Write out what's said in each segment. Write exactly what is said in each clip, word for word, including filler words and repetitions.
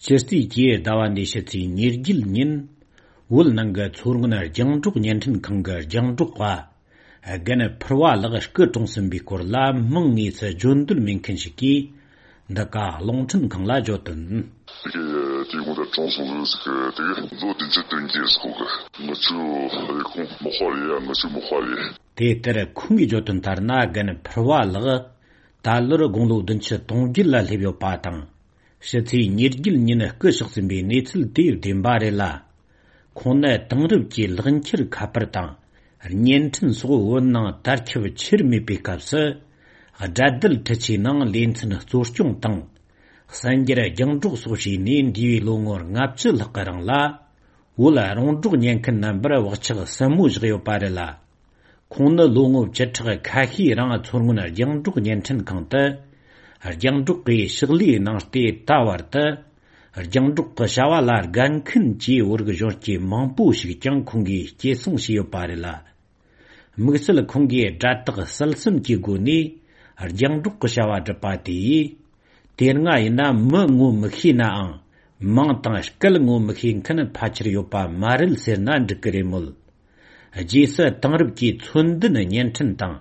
སྤྱི་རྩིས་ཀྱི་ཟླ་བ་འདིའི་ཕྱི་ཚེས་ཉེར་བརྒྱད་ཉིན། བོད་ནང་གི་མཚོ་སྔོན་རྒྱང་སྒྲོག་བརྙན་འཕྲིན་ཁང་གི་རྒྱང་སྒྲོག་པ་རྒན་ཕུར་བ་ལགས་སྐུ་གྲོངས་ཟིན་པའི་སྐོར་ལ་མིང་དངོས་སུ་བརྗོད་འདོད་མེད་མཁན་ཞིག་གིས་འདི་ག་རླུང་འཕྲིན་ཁང་ལ་བརྗོད་དོན། དེ་གའི་དེའི་གོང་དུ་གྲོངས་སོང་ཟིག་གི་དེ་གའི་ལོ་བདུན་ཅུ་དོན་བརྒྱད་སོགས་གི་ང་ཚོའི་ཁོང་མི་དཔའ་རེད་ཡ། ང་ཚོའི་མི་དཔའ་རེད། དེ་ལྟར་ཁོང་གིས་བརྗོད་དོན་ལྟར་ན། རྒན་ཕུར་བ་ལགས་ད་ལོར་དགུང་ལོ་བདུན་ཅུ་དོན་བརྒྱད་ལ་སླེབས་ཡོད་པ་དང་། ཕྱི་ཚེས་ཉེར་བརྒྱད་ཉིན་སྐུ་གཤེགས་ཟིན་པའི་གནས་ཚུལ་དེ་བདེན་པ་རེད་ལ། ཁོང་ནི་དེང་རབས་ཀྱི་ལག་འཁྱེར་ཁ་པར་དང་བརྙན་འཕྲིན་སོགས་བོད་ནང་དར་ཁྱབ་ཆེར་མེད་པའི་སྐབས་སུ། དགྲ་སྡེ་འཕྲུལ་ཆས་ནང་ལེ་ཚན་གཙོ་སྐྱོང་དང་། གསར་འགྱུར་རྒྱང་སྒྲོག་སོགས་བྱས་ནས་འདས་པའི་ལོ་ངོ་ལྔ་བཅུ་ལྷག་གི་རིང་ལ། བོད་རོང་འབྲོག་ཉན་མཁན་རྣམ་པར་བག་ཆགས་ཟབ་མོ་བཞག་ཡོད་པ་རེད་ལ། ཁོང་ནི་ལོ་ངོ་བཅུ་ཕྲག་ཁ་ཤས་རིང་མཚོ་སྔོན་རྒྱང་སྒྲོག་བརྙན་འཕྲིན་ཁང་དུ་རྒྱང་སྒྲོག་གི་ཕྱག་ལས་གནང་སྟེ་ད་བར་དུ་རྒྱང་སྒྲོག་གི་བྱ་བ་ལ་དགའ་མཁན་གྱི་བོད་རིགས་གཞོན་སྐྱེས་མང་པོ་ཞིག་ཀྱང་ཁོང་གིས་སྐྱེད་སྲིང་བྱས་ཡོད་པ་རེད་ལ། དམིགས་བསལ་ཁོང་གིས་དགྲ་དག་བསད་གསུམ་གྱི་སྒོ་ནས་རྒྱང་སྒྲོག་གི་བྱ་བ་བསྒྲུབས་པ་དེ་ཡིས། དེ་སྔ་ཡིན་ན་མི་ངོ་མི་ཤེས་ནའང་མིང་དང་སྐད་ངོ་མི་ཤེས་མཁན་ཕལ་ཆེར་ཡོད་པ་མ་རེད་ཟེར་ན་འགྲིག་གི་རེད་མོད། རྗེས་སུ་དེང་རབས་ཀྱི་མཚོན་ལྡན་བརྙན་འཕྲིན་དང་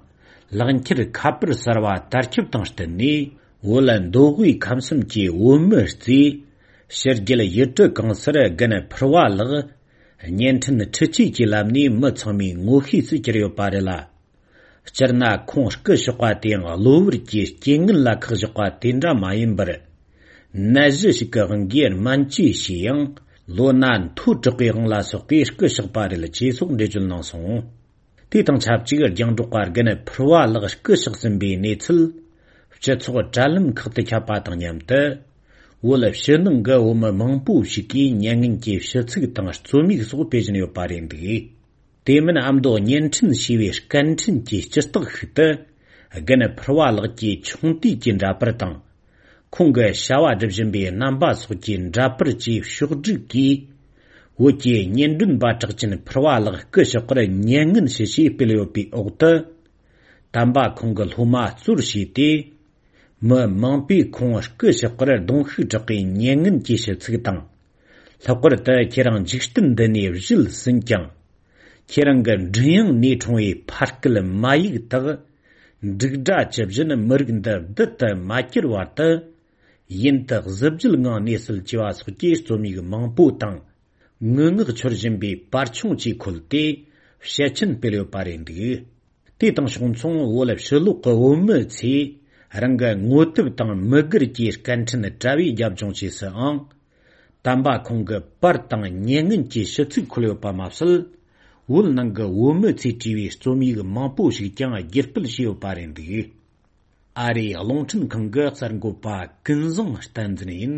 ལག་འཁྱེར་ཁ་པར་གསར་བ་དར་ཁྱབ་དང་བསྟུན་ནས། བོད་མདོ་དབུས་ཁམས་གསུམ་གྱི་བོད་མི་རྩིས། ཕྱི་རྒྱལ་ཡུལ་གྲུ་གང་སར་རྒན་ཕུར་བ་ལགས་བརྙན་འཕྲིན་འཕྲུལ་ཆས་ཀྱི་ལམ་ནས་མི་ཚང་མའི་ངོ་ཤེས་སུ་གྱུར་ཡོད་པ་རེད་ལ། སྤྱིར་ན་ཁོང་སྐུ་གཤེགས་པ་དེའང་གློ་བུར་གྱི་རྐྱེན་ངན་ལ་ཁག་བཞག་པ་དེ་འདྲ་མ་ཡིན་པར། ནད་གཞི་ཞིག་གི་དབང་གིས་སྨན་བཅོས་བྱས་ཡང་ལོ་ན་མཐོ་དྲགས་པའི་དབང་ལ་སོགས་ཏེ་སྐུ་གཤེགས་པ་རེད་ཅེས་སོགས་འགྲེལ་བརྗོད་གནང་སོང་། དེ་དང་ཆབས་ཅིག་རྒྱང་སྒྲོག་པ་རྒན་ཕུར་བ་ལགས་སྐུ་གཤེགས་ཟིན་པའི་གནས་ཚུལ་སྤྱི་ཚོགས་དྲ་ལམ་ཁག་ཏུ་ཁྱབ་པ་དང་མཉམ་དུ། བོད་ཕྱི་ནང་གི་བོད་མི་མང་པོ་ཞིག་གིས་མྱ་ངན་གྱི་ཞུ་ཚིག་དང་རྩོམ་ཡིག་སོགས་སྤེལ་བཞིན་ཡོད་པ་རེད་འདུག། དེ་མིན་ཨ་མདོ་བརྙན་འཕྲིན་ཞེས་པའི་སྐད་འཕྲིན་གྱི་སྤྱི་རྟགས་ཤིག་ཏུ། རྒན་ཕུར་བ་ལགས་ཀྱི་ཆུང་དུས་ཀྱི་འདྲ་པར་དང་། ཁོང་གི་བྱ་བ་སྒྲུབ་བཞིན་པའི་རྣམ་པ་སོགས་ཀྱི་འདྲ་པར་བཅས་ཕྱོགས་བསྒྲིགས་ཀྱིས། བོད་ཀྱི་སྙན་སྒྲོན་པ་གྲགས་ཅན་ཕུར་བ་ལགས་སྐུ་གཤེགས་པར་མྱ་ངན་ཞུ་ཞེས་སྤེལ་ཡོད་པའི་འོག་ཏུ། དམ་པ་ཁོང་གི་སློབ་མ་གཙོར་བྱས་ཏེ། མི་མང་པོས་ཁོང་སྐུ་གཤེགས་པར་གདུང་ཤུགས་དྲག་པའི་མྱ་ངན་གྱི་ཞུ་ཚིག་དང་། ལྷག་པར་དུ་ཁྱེད་རང་འཇིག་རྟེན་འདི་ནས་གཞུད་ཟིན་ཀྱང་། ཁྱེད་རང་གི་མགྲིན་དབྱངས་ནས་འཁྲུངས་པའི་ཕ་སྐད་མ་ཡིག་དག། འབྲུག་སྒྲ་ཇི་བཞིན་མི་རིགས་འདི་བདུད་དུ་མ་གྱུར་བར་དུ། ཡུན་དུ་གཟི་བརྗིད་ངང་གནས་སྲིད་ཅེས་པ་སོགས་ཀྱི་རྩོམ་ཡིག་མང་པོ་དང་། ངུ་ངག་འཆོར་བཞིན་པའི་པར་ཆུང་ཅིག་ཁོལ་ཏེ་ཞལ་ཆེམས་སྤེལ་ཡོད་པ་རེད་འདུག། དེ་དང་ཕྱོགས་མཚུངས་བོད་ཕྱི་ལོགས་ཀྱི་བོད་མི་ཚོས་རང་གི་ངོ་དེབ་དང་མི་སྒེར་གྱི་སྐད་འཕྲིན་དྲ་བའི་རྒྱབ་ལྗོངས་བཅས་སུའང་། དམ་པ་ཁོང་གི་པར་དང་མྱ་ངན་གྱི་ཞུ་ཚིག་འཁོད་ཡོད་པ་མ་ཟད། བོད་ནང་གི་བོད་མི་ཚོས་བྲིས་པའི་རྩོམ་ཡིག་མང་པོ་ཞིག་ཀྱང་སྒྱུར་སྤེལ་བྱས་ཡོད་པ་རེད་འདུག། ཨ་རིའི་རླུང་འཕྲིན་ཁང་གི་གསར་འགོད་པ་ཀུན་བཟང་བསྟན་འཛིན་ཡིན།